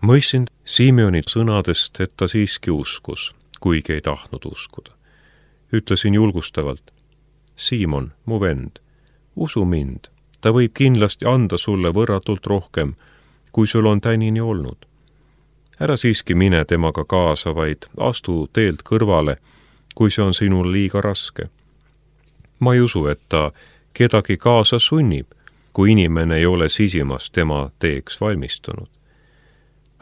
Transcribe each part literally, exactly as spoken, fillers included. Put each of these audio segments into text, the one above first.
Mõistsin Simeoni sõnadest, et ta siiski uskus, kuigi ei tahtnud uskuda. Ütlesin julgustavalt: Siimon, mu vend, usu mind, ta võib kindlasti anda sulle võrratult rohkem, kui sul on tänini olnud. Ära siiski mine temaga kaasa, vaid astu teelt kõrvale, kui see on sinul liiga raske. Ma ei usu, et ta kedagi kaasa sunnib, kui inimene ei ole sisimas tema teeks valmistunud.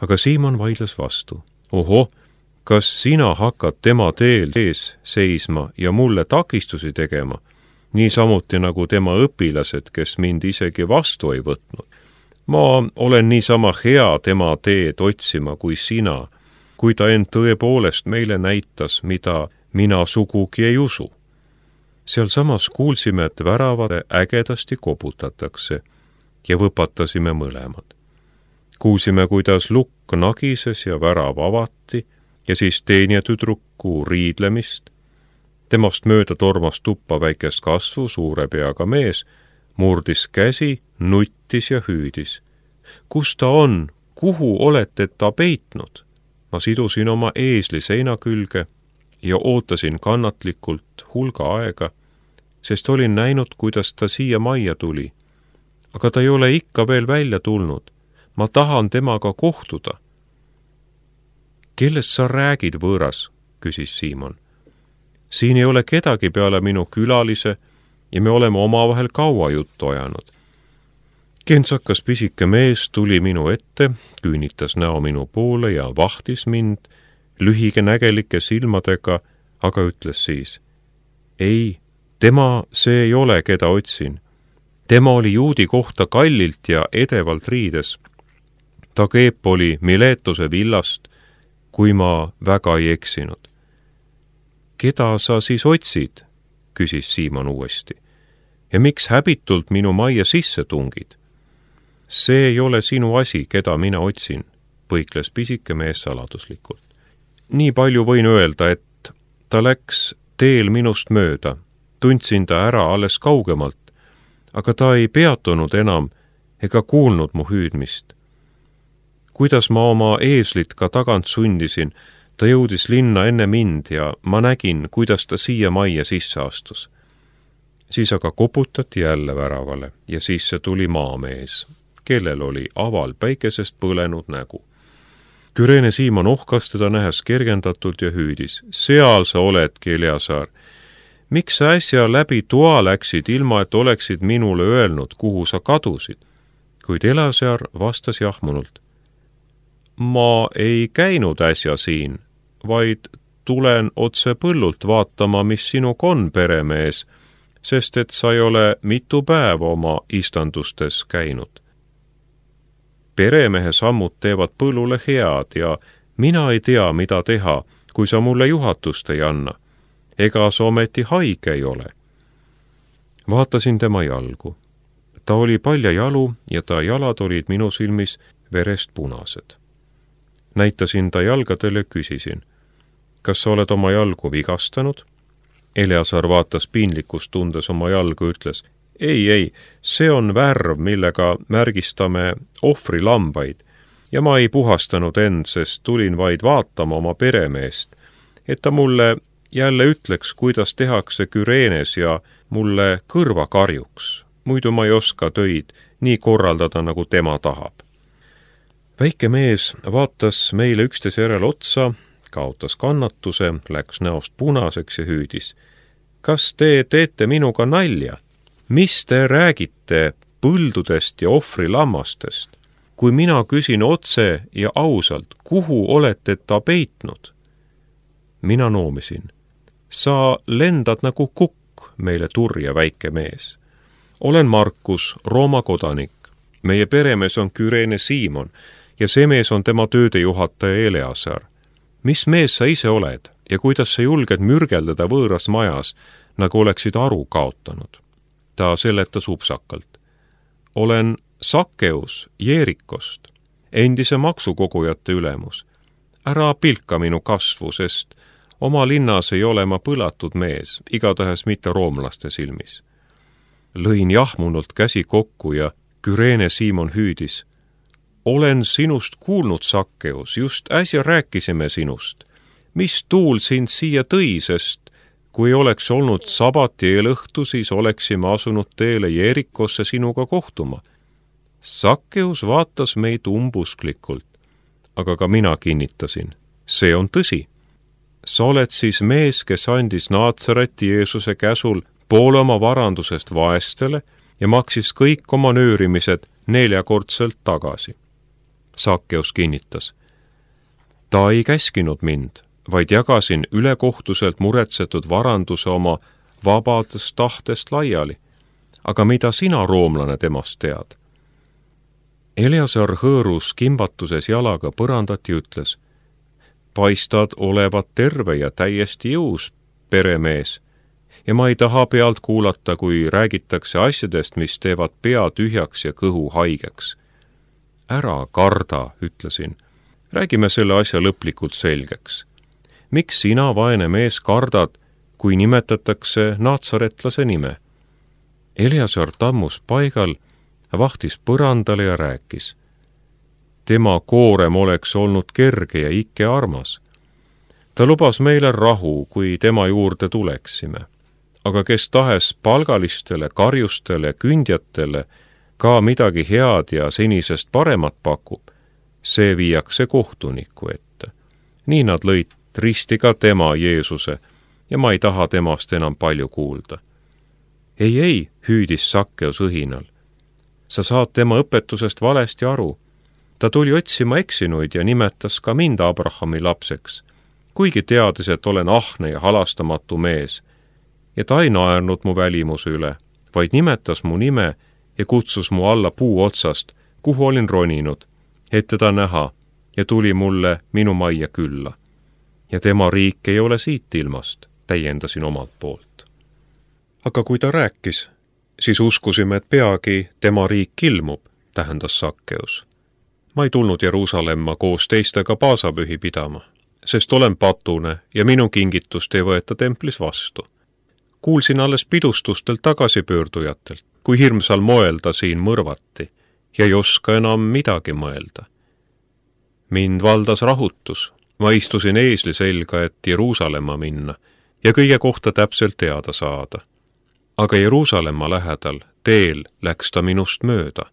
Aga Siimon vaidles vastu. Oho, kas sina hakkad tema teel ees seisma ja mulle takistusi tegema, niisamuti nagu tema õpilased, kes mind isegi vastu ei võtnud? Ma olen niisama hea tema teed otsima kui sina, kui ta end tõepoolest meile näitas, mida mina sugugi ei usu. Seal samas kuulsime, et väravad ägedasti koputatakse ja võpatasime mõlemad. Kuulsime, kuidas lukk nagises ja värav avati ja siis teenija tüdruku riidlemist. Temast mööda tormas tuppa väikest kasvu suure peaga mees, murdis käsi, nuttis ja hüüdis. Kus ta on? Kuhu olete ta peitnud? Ma sidusin oma eesli seina külge ja ootasin kannatlikult hulga aega, sest olin näinud, kuidas ta siia majja tuli. Aga ta ei ole ikka veel välja tulnud. Ma tahan temaga kohtuda. Kellest sa räägid, võõras? Küsis Siimon. Siin ei ole kedagi peale minu külalise ja me oleme omavahel kaua juttu ajanud. Kentsakas pisike mees tuli minu ette, küünitas näo minu poole ja vahtis mind lühige nägelike silmadega, aga ütles siis: Ei, tema see ei ole, keda otsin. Tema oli juudi kohta kallilt ja edevalt riides. Ta keep oli Miletuse villast, kui ma väga ei eksinud. Keda sa siis otsid? Küsis Siimon uuesti. Ja miks häbitult minu majja sisse tungid? See ei ole sinu asi, keda mina otsin, põikles pisike mees saladuslikult. Nii palju võin öelda, et ta läks teel minust mööda. Tundsin ta ära alles kaugemalt, aga ta ei peatunud enam ega kuulnud mu hüüdmist. Kuidas ma oma eeslit ka tagant sundisin, ta jõudis linna enne mind ja ma nägin, kuidas ta siia majja sisse astus. Siis aga koputati jälle väravale ja sisse tuli maamees, kellel oli aval päikesest põlenud nägu. Küreene Siimon ohkas teda nähes kergendatult ja hüüdis: Seal sa oledki, Eleazar. Miks sa äsja läbi toa läksid, ilma et oleksid minule öelnud, kuhu sa kadusid? Kuid Eleazar vastas jahmunult: Ma ei käinud äsja siin, vaid tulen otse põllult vaatama, mis sinuga on, peremees, sest et sa ei ole mitu päeva oma istandustes käinud. Peremehe sammud teevad põllule head ja mina ei tea, mida teha, kui sa mulle juhatust ei anna. Ega sa ometi haige ei ole. Vaatasin tema jalgu. Ta oli palja jalu ja ta jalad olid minu silmis verest punased. Näitasin ta jalgadele ja küsisin: Kas sa oled oma jalgu vigastanud? Eleazar vaatas piinlikkust tundes oma jalgu, ütles: Ei, ei, see on värv, millega märgistame ohvri lambaid ja ma ei puhastanud end, sest tulin vaid vaatama oma peremeest, et ta mulle jälle ütleks, kuidas tehakse Küreenes ja mulle kõrva karjuks. Muidu ma ei oska töid nii korraldada, nagu tema tahab. Väike mees vaatas meile üksteise järel otsa, kaotas kannatuse, läks näost punaseks ja hüüdis: Kas te teete minuga nalja? Mis te räägite põldudest ja ohvri lammastest? Kui mina küsin otse ja ausalt, kuhu olete ta peitnud? Mina noomisin: Sa lendad nagu kukk, meile turja väike mees. Olen Markus, Rooma kodanik. Meie peremees on Küreene Siimon ja see mees on tema töödejuhataja Eleazar. Mis mees sa ise oled ja kuidas sa julged mürgeldada võõras majas, nagu oleksid aru kaotanud? Ta seletas upsakalt: Olen Sakkeus Jeerikost, endise maksukogujate ülemus. Ära pilka minu kasvu, sest oma linnas ei ole ma põlatud mees, igatahes mitte roomlaste silmis. Lõin jahmunult käsi kokku ja Küreene Siimon hüüdis: olen sinust kuulnud, Sakkeus, just äsja rääkisime sinust. Mis tuul sind siia tõi, sest kui oleks olnud sabati eelõhtu, siis oleksime asunud teele Jeerikosse sinuga kohtuma. Sakkeus vaatas meid umbusklikult, aga ka mina kinnitasin, see on tõsi. Sa oled siis mees, kes andis Naatsareti Jeesuse käsul poole oma varandusest vaestele ja maksis kõik oma nöörimised neljakordselt tagasi. Sakkeus kinnitas. Ta ei käskinud mind, vaid jagasin ülekohtuselt muretsetud varanduse oma vabadest tahtest laiali. Aga mida sina, roomlane, temast tead? Eleazar hõõrus kimbatuses jalaga põrandat ja ütles, paistad olevat terve ja täiesti jõus, peremees, ja ma ei taha pealt kuulata, kui räägitakse asjadest, mis teevad pea tühjaks ja kõhu haigeks. Ära karda, ütlesin. Räägime selle asja lõplikult selgeks. Miks sina, vaene mees, kardad, kui nimetatakse naatsaretlase nime? Eleazar tammus paigal, vahtis põrandale ja rääkis. Tema koorem oleks olnud kerge ja ikke armas. Ta lubas meile rahu, kui tema juurde tuleksime. Aga kes tahes palgalistele, karjustele, kündjatele ka midagi head ja senisest paremat pakub, see viiakse kohtuniku ette. Nii nad lõid risti ka tema, Jeesuse, ja ma ei taha temast enam palju kuulda. Ei, ei, hüüdis Sakkeus õhinal. Sa saad tema õpetusest valesti aru. Ta tuli otsima eksinuid ja nimetas ka mind Abrahami lapseks, kuigi teadis, et olen ahne ja halastamatu mees. Ja ta ei naernud mu välimuse üle, vaid nimetas mu nime ja kutsus mu alla puu otsast, kuhu olin roninud, et teda näha, ja tuli mulle minu majja külla. Ja tema riik ei ole siit ilmast, täiendasin omalt poolt. Aga kui ta rääkis, siis uskusime, et peagi tema riik ilmub, tähendas Sakkeus. Ma ei tulnud Jeruusalemma koos teistega paasapühi pidama, sest olen patune ja minu kingitust ei võeta templis vastu. Kuulsin alles pidustustelt tagasipöördujatelt, kui hirmsal moel ta siin mõrvati ja ei oska enam midagi mõelda. Mind valdas rahutus, ma istusin eesli selga, et Jeruusalemma minna ja kõige kohta täpselt teada saada. Aga Jeruusalemma lähedal teel läks ta minust mööda.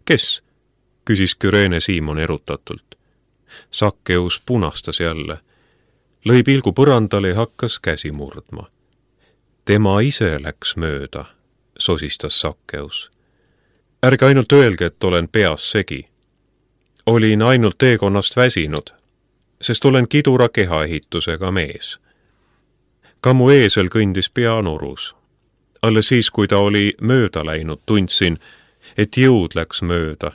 Kes? Küsis Küreene Siimon erutatult. Sakkeus punastas jälle. Lõi pilgu põrandale ja hakkas käsi murdma. Tema ise läks mööda, sosistas Sakkeus. Ärge ainult öelge, et olen peas segi. Olin ainult teekonnast väsinud, sest olen kidura kehaehitusega mees. Ka mu eesel kõndis peanorus. Alles siis, kui ta oli mööda läinud, tundsin, et jõud läks mööda.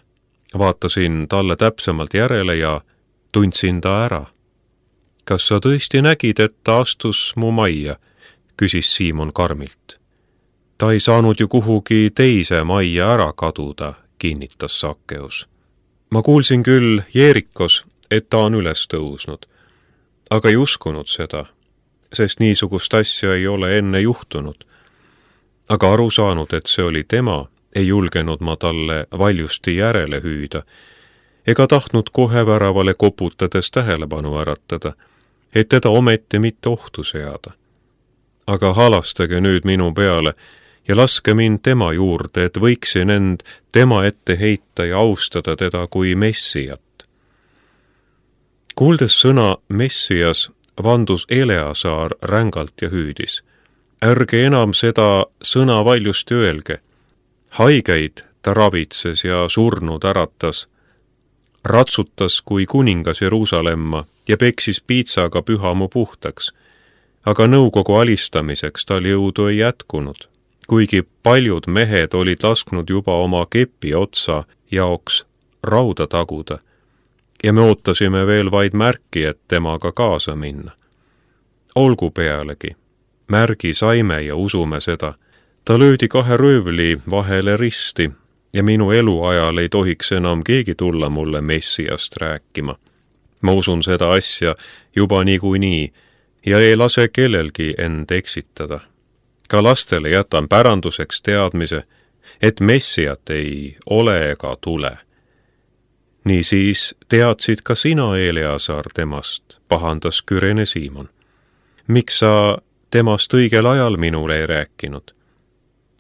Vaatasin talle täpsemalt järele ja tundsin ta ära. Kas sa tõesti nägid, et ta astus mu majja? Küsis Siimon karmilt. Ta ei saanud ju kuhugi teise majja ära kaduda, kinnitas Sakkeus. Ma kuulsin küll Jeerikos, et ta on üles tõusnud, aga ei uskunud seda, sest niisugust asja ei ole enne juhtunud. Aga aru saanud, et see oli tema, ei julgenud ma talle valjusti järele hüüda, ega tahtnud kohe väravale koputades tähelepanu äratada, et teda ometi mitte ohtu seada. Aga halastage nüüd minu peale ja laske mind tema juurde, et võiksin end tema ette heita ja austada teda kui Messiat. Kuuldes sõna Messias, vandus Eleazar rängalt ja hüüdis. Ärge enam seda sõna valjusti öelge. Haigeid ta ravitses ja surnud äratas, ratsutas kui kuningas Jeruusalemma ja peksis piitsaga pühamu puhtaks. Aga nõukogu alistamiseks tal jõudu ei jätkunud, kuigi paljud mehed olid lasknud juba oma kepi otsa jaoks rauda taguda ja me ootasime veel vaid märki, et temaga kaasa minna. Olgu pealegi, märgi saime ja usume seda. Ta löödi kahe röövli vahele risti ja minu eluajal ei tohiks enam keegi tulla mulle Messiast rääkima. Ma usun seda asja juba niikuinii ja ei lase kellelgi end eksitada. Ka lastele jätan päranduseks teadmise, et Messiat ei ole ega tule. Niisiis teadsid ka sina, Eleasar, temast, pahandas Küreene Siimon. Miks sa temast õigel ajal minule ei rääkinud?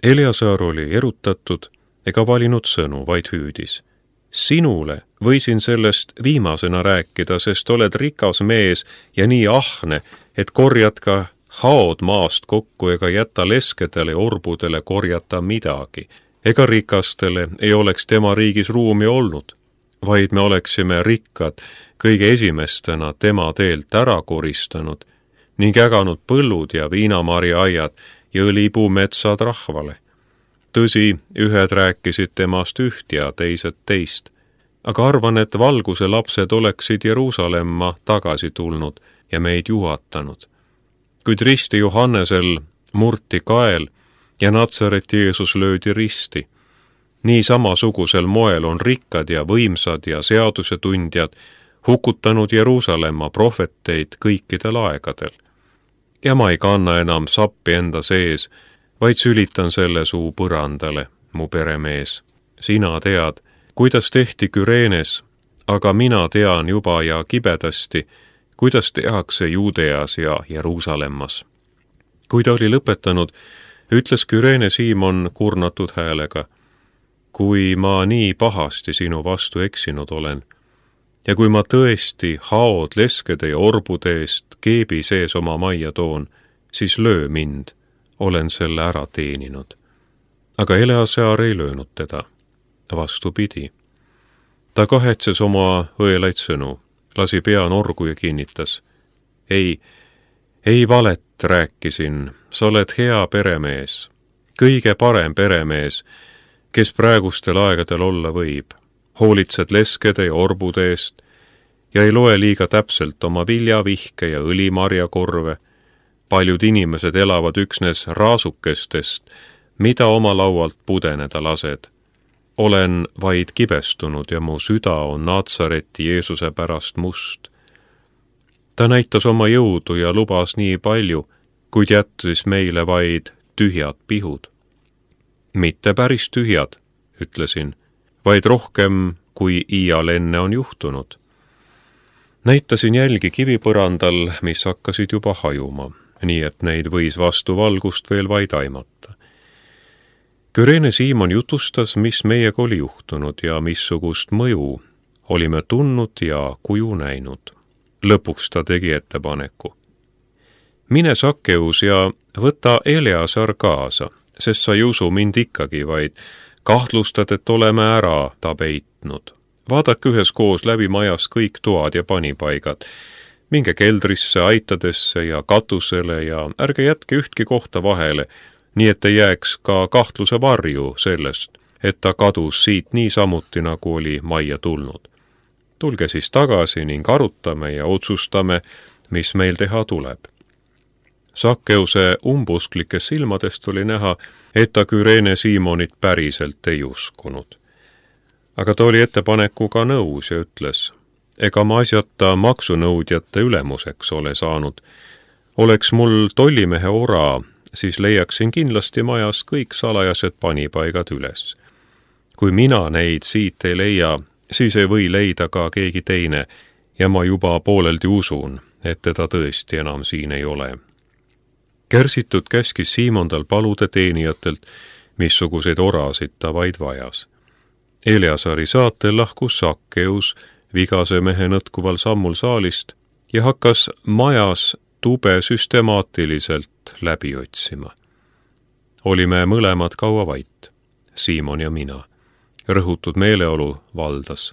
Eleasar oli erutatud ega valinud sõnu, vaid hüüdis. Sinule võisin sellest viimasena rääkida, sest oled rikas mees ja nii ahne, et korjad ka haod maast kokku ega jäta leskedele ja orbudele korjata midagi. Ega rikastele ei oleks tema riigis ruumi olnud, vaid me oleksime rikkad kõige esimestena tema teelt ära koristanud ning äganud põllud ja viinamarjaaiad ja õlipuumetsad rahvale. Tõsi, ühed rääkisid temast üht ja teised teist, aga arvan, et valguse lapsed oleksid Jeruusalemma tagasi tulnud ja meid juhatanud. Kuid risti Johannesel murti kael ja Natsareti Jeesus löödi risti. Nii samasugusel moel on rikkad ja võimsad ja seadusetundjad hukutanud Jeruusalemma prohveteid kõikidel aegadel. Ja ma ei kanna enam sappi enda sees, vaid sülitan selle suu põrandale, mu peremees. Sina tead, kuidas tehti Küreenes, aga mina tean juba ja kibedasti, kuidas tehakse Juudeas ja Jeruusalemmas. Kui ta oli lõpetanud, ütles Küreene Siimon kurnatud häälega, kui ma nii pahasti sinu vastu eksinud olen, ja kui ma tõesti haod leskede ja orbude eest keebi sees oma majja toon, siis löö mind, olen selle ära teeninud. Aga Eleasar ei löönud teda, vastupidi. Ta kahetses oma õelaid sõnu, lasi pea norgu ja kinnitas. Ei, ei valet rääkisin, sa oled hea peremees, kõige parem peremees, kes praegustel aegadel olla võib. Hoolitsed leskede ja orbude eest ja ei loe liiga täpselt oma viljavihke ja õlimarjakorve. Paljud inimesed elavad üksnes raasukestest, mida oma laualt pudeneda lased. Olen vaid kibestunud ja mu süda on Natsareti Jeesuse pärast must. Ta näitas oma jõudu ja lubas nii palju, kuid jättis meile vaid tühjad pihud. Mitte päris tühjad, ütlesin, vaid rohkem, kui iial enne on juhtunud. Näitasin jälgi kivipõrandal, mis hakkasid juba hajuma, nii et neid võis vastu valgust veel vaid aimata. Küreene Siimon jutustas, mis meiega oli juhtunud ja missugust mõju olime tundnud ja kuju näinud. Lõpuks ta tegi ettepaneku. Mine Sakkeus ja võta Eleasar kaasa, sest sa ei usu mind ikkagi, vaid kahtlustad, et oleme ära ta peitnud. Vaadake üheskoos läbi majas kõik toad ja panipaigad. Minge keldrisse, aitadesse ja katusele ja ärge jätke ühtki kohta vahele, nii et ei jääks ka kahtluse varju sellest, et ta kadus siit nii samuti, nagu oli majja tulnud. Tulge siis tagasi ning arutame ja otsustame, mis meil teha tuleb. Sakkeuse umbusklikes silmadest oli näha, et ta Küreene Siimonit päriselt ei uskunud. Aga ta oli ettepanekuga nõus ja ütles, ega ma asjata maksunõudjate ülemuseks ole saanud. Oleks mul tollimehe ora, siis leiaksin kindlasti majas kõik salajased panipaigad üles. Kui mina neid siit ei leia, siis ei või leida ka keegi teine ja ma juba pooleldi usun, et teda tõesti enam siin ei ole. Kärsitud käskis Siimon tal paluda teenijatelt, missuguseid orasid ta vaid vajas. Eleasari saatel lahkus Sakkeus vigase mehe nõtkuval sammul saalist ja hakkas majas tube süstemaatiliselt läbi otsima. Olime mõlemad kaua vait, Siimon ja mina. Rõhutud meeleolu valdas.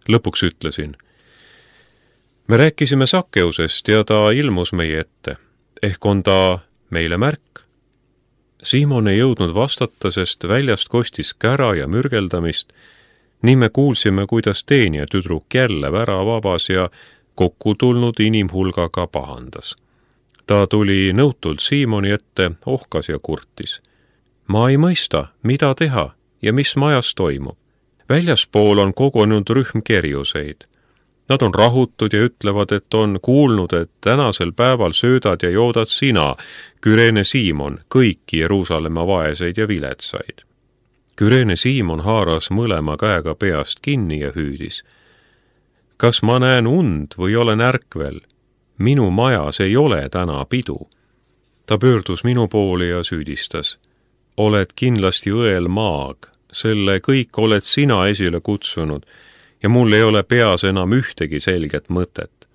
Lõpuks ütlesin, me rääkisime Sakkeusest ja ta ilmus meie ette. Ehk on ta meile märk? Siimon ei jõudnud vastata, sest väljast kostis kära ja mürgeldamist. Nii me kuulsime, kuidas teenija tüdruk jälle värava avas ja kokku tulnud inimhulgaga pahandas. Ta tuli nõutult Siimoni ette, ohkas ja kurtis. Ma ei mõista, mida teha ja mis majas toimub. Väljaspool on kogunud rühm kerjuseid. Nad on rahutud ja ütlevad, et on kuulnud, et tänasel päeval söödad ja joodad sina, Küreene Siimon, kõiki Jeruusalemma vaeseid ja viletsaid. Küreene Siimon haaras mõlema käega peast kinni ja hüüdis. Kas ma näen und või olen ärkvel? Minu majas ei ole täna pidu. Ta pöördus minu poole ja süüdistas. Oled kindlasti õel maag, selle kõik oled sina esile kutsunud ja mul ei ole peas enam ühtegi selget mõtet.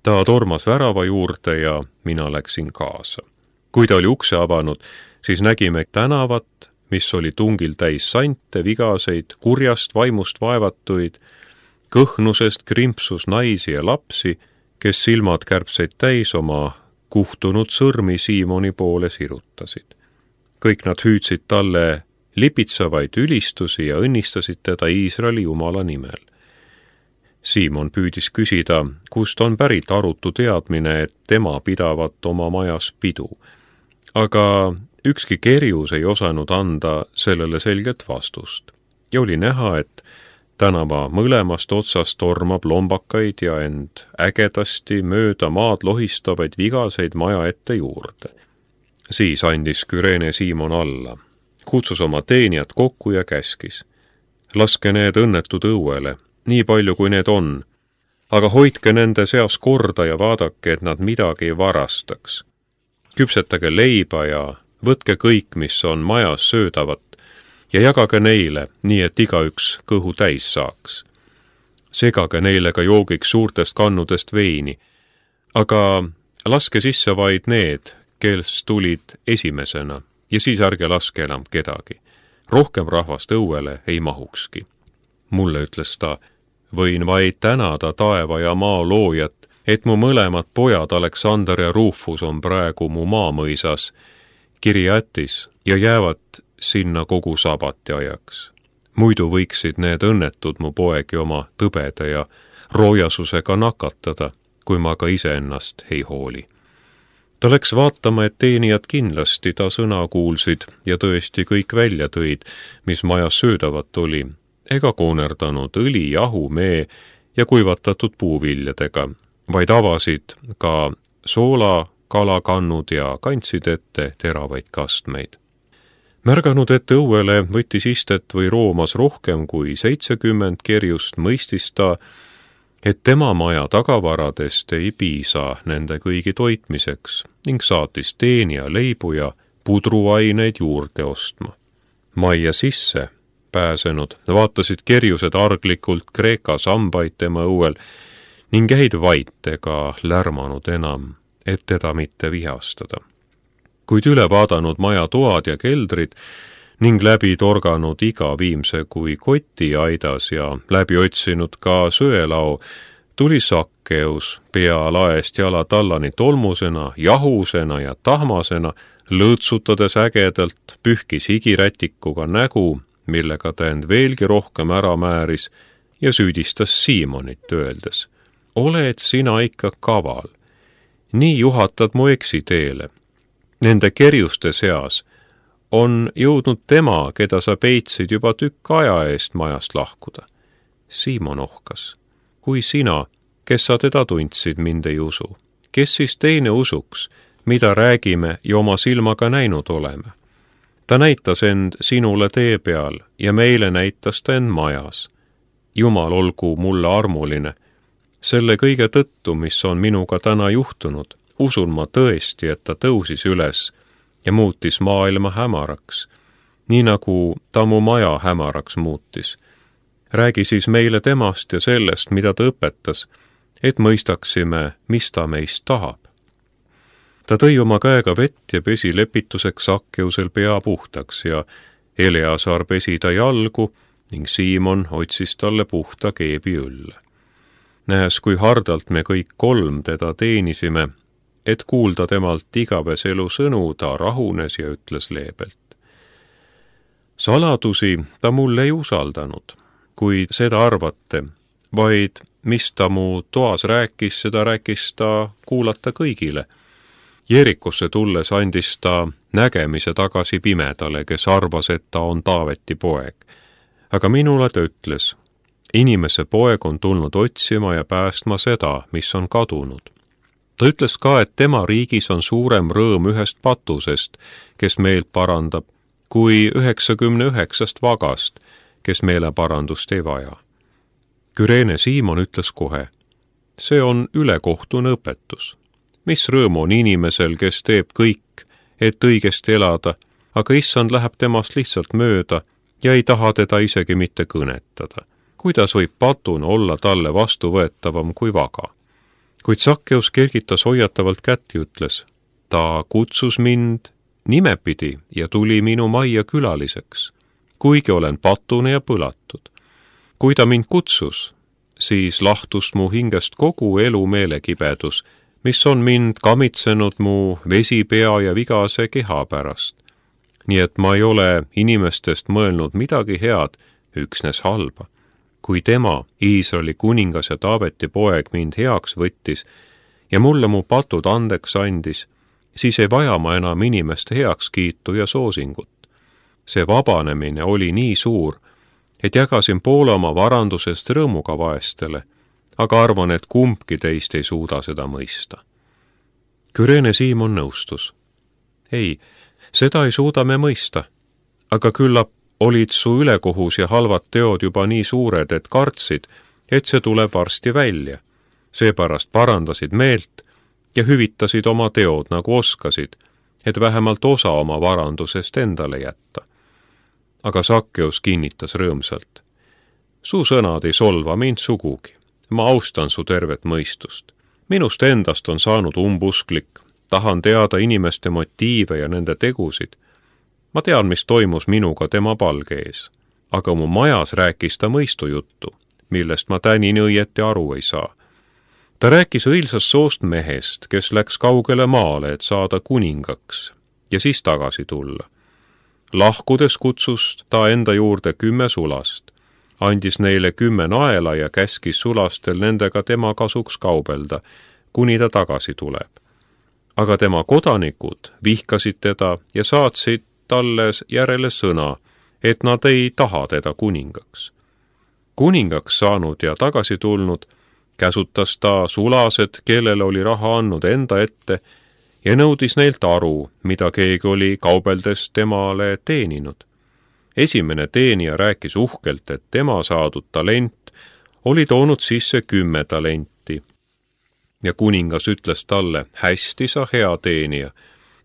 Ta tormas värava juurde ja mina läksin kaasa. Kui ta oli ukse avanud, siis nägime tänavat, mis oli tungil täis sante, vigaseid, kurjast vaimust vaevatuid, kõhnusest krimpsus naisi ja lapsi, kes silmad kärbseid täis oma kuhtunud sõrmi Siimoni poole sirutasid. Kõik nad hüüdsid talle lipitsavaid ülistusi ja õnnistasid teda Iisraeli Jumala nimel. Siimon püüdis küsida, kust on pärit arutu teadmine, et tema pidavat oma majas pidu. Aga ükski kerjus ei osanud anda sellele selget vastust. Ja oli näha, et tänava mõlemast otsast tormab lombakaid ja end ägedasti mööda maad lohistavaid vigaseid maja ette juurde. Siis andis Küreene Siimon alla, kutsus oma teenijad kokku ja käskis. Laske need õnnetud õuele, nii palju kui need on, aga hoidke nende seas korda ja vaadake, et nad midagi ei varastaks. Küpsetage leiba ja võtke kõik, mis on majas söödavat, ja jagage neile, nii et igaüks kõhu täis saaks. Segage neile ka joogiks suurtest kannudest veini, aga laske sisse vaid need, kes tulid esimesena, ja siis ärge laske enam kedagi. Rohkem rahvast õuele ei mahukski. Mulle ütles ta, võin vaid tänada taeva ja maa loojat, et mu mõlemad pojad Aleksander ja Rufus on praegu mu maamõisas Kirjatis ja jäävad sinna kogu sabati ajaks. Muidu võiksid need õnnetud mu poegi oma tõbede ja roojasusega nakatada, kui ma ka iseennast ei hooli. Ta läks vaatama, et teenijad kindlasti ta sõna kuulsid ja tõesti kõik välja tõid, mis majas söödavat oli, ega koonerdanud õli, jahu, mee ja kuivatatud puuviljadega, vaid avasid ka soola, kalakannud ja kandsid ette teravaid kastmeid. Märganud, et õuele võttis istet või roomas rohkem kui seitsekümmend kerjust, mõistis ta, et tema maja tagavaradest ei piisa nende kõigi toitmiseks ning saatis teenija leibu ja pudruaineid juurde ostma. Majja sisse pääsenud vaatasid kerjused arglikult Kreeka sambaid tema õuel ning jäid vait ega lärmanud enam, et teda mitte vihastada. Kuid üle vaadanud maja toad ja keldrid ning läbi torganud iga viimse kui koti aidas ja läbi otsinud ka söelao, tuli Sakkeus pea laest jala tallani tolmusena, jahusena ja tahmasena, lõõtsutades ägedalt, pühkis higirätikuga nägu, millega ta end veelgi rohkem ära määris ja süüdistas Siimonit öeldes. Oled sina ikka kaval, nii juhatad mu eksiteele. Nende kerjuste seas on jõudnud tema, keda sa peitsid juba tükk aja eest majast lahkuda. Siimon ohkas, kui sina, kes sa teda tundsid, mind ei usu. Kes siis teine usuks, mida räägime ja oma silmaga näinud oleme? Ta näitas end sinule tee peal ja meile näitas ta end majas. Jumal olgu mulle armuline. Selle kõige tõttu, mis on minuga täna juhtunud, usun ma tõesti, et ta tõusis üles ja muutis maailma hämaraks, nii nagu ta mu maja hämaraks muutis. Räägi siis meile temast ja sellest, mida ta õpetas, et mõistaksime, mis ta meist tahab. Ta tõi oma käega vett ja pesi lepituseks Sakkeusel pea puhtaks ja Eleasar pesi ta jalgu ning Siimon otsis talle puhta keebi õlle. Nähes, kui hardalt me kõik kolm teda teenisime, et kuulda temalt igaves elu sõnu, ta rahunes ja ütles leebelt. Saladusi ta mulle ei usaldanud, kui seda arvate, vaid mis ta mu toas rääkis, seda rääkis ta kuulata kõigile. Jeerikusse tulles andis ta nägemise tagasi pimedale, kes arvas, et ta on Taaveti poeg. Aga minule ta ütles, inimese poeg on tulnud otsima ja päästma seda, mis on kadunud. Ta ütles ka, et tema riigis on suurem rõõm ühest patusest, kes meelt parandab, kui üheksakümne üheksast vagast, kes meeleparandust ei vaja. Küreene Siimon ütles kohe, see on ülekohtune õpetus. Mis rõõm on inimesel, kes teeb kõik, et õigesti elada, aga issand läheb temast lihtsalt mööda ja ei taha teda isegi mitte kõnetada. Kuidas võib patun olla talle vastuvõetavam kui vaga? Kuid Sakkeus kergitas hoiatavalt kätt ja ütles, ta kutsus mind nimepidi ja tuli minu majja külaliseks, kuigi olen patune ja põlatud. Kui ta mind kutsus, siis lahtus mu hingest kogu elu meelekibedus, mis on mind kamitsenud mu vesipea ja vigase keha pärast. Nii et ma ei ole inimestest mõelnud midagi head, üksnes halba. Kui tema, Iisraeli kuningas ja Taaveti poeg, mind heaks võttis ja mulle mu patud andeks andis, siis ei vaja ma enam inimeste heakskiitu ja soosingut. See vabanemine oli nii suur, et jagasin poole oma varandusest rõõmuga vaestele, aga arvan, et kumbki teist ei suuda seda mõista. Küreene Siimon nõustus. Ei, seda ei suuda me mõista, aga küllap olid su ülekohus ja halvad teod juba nii suured, et kartsid, et see tuleb varsti välja. Seepärast parandasid meelt ja hüvitasid oma teod nagu oskasid, et vähemalt osa oma varandusest endale jätta. Aga Sakkeus kinnitas rõõmsalt. Su sõnad ei solva mind sugugi. Ma austan su tervet mõistust. Minust endast on saanud umbusklik. Tahan teada inimeste motiive ja nende tegusid. Ma tean, mis toimus minuga tema palge ees. Aga mu majas rääkis ta mõistujuttu, millest ma tänini õieti aru ei saa. Ta rääkis õilsast soost mehest, kes läks kaugele maale, et saada kuningaks ja siis tagasi tulla. Lahkudes kutsus ta enda juurde kümme sulast, andis neile kümme naela ja käskis sulastel nendega tema kasuks kaubelda, kuni ta tagasi tuleb. Aga tema kodanikud vihkasid teda ja saatsid talle järele sõna, et nad ei taha teda kuningaks. Kuningaks saanud ja tagasi tulnud, käsutas ta sulased, kellele oli raha andnud enda ette, ja nõudis neilt aru, mida keegi oli kaubeldes temale teeninud. Esimene teenija rääkis uhkelt, et tema saadud talent oli toonud sisse kümme talenti. Ja kuningas ütles talle, hästi sa hea teenija,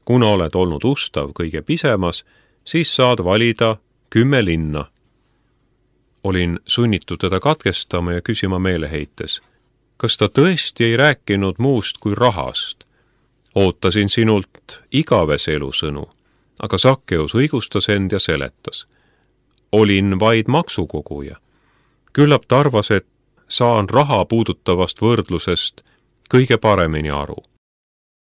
kuna oled olnud ustav kõige pisemas, siis saad valida kümme linna. Olin sunnitud teda katkestama ja küsima meeleheites, kas ta tõesti ei rääkinud muust kui rahast? Ootasin sinult igavese elusõnu, aga Sakkeus õigustas end ja seletas. Olin vaid maksukoguja. Küllap ta arvas, et saan raha puudutavast võrdlusest kõige paremini aru.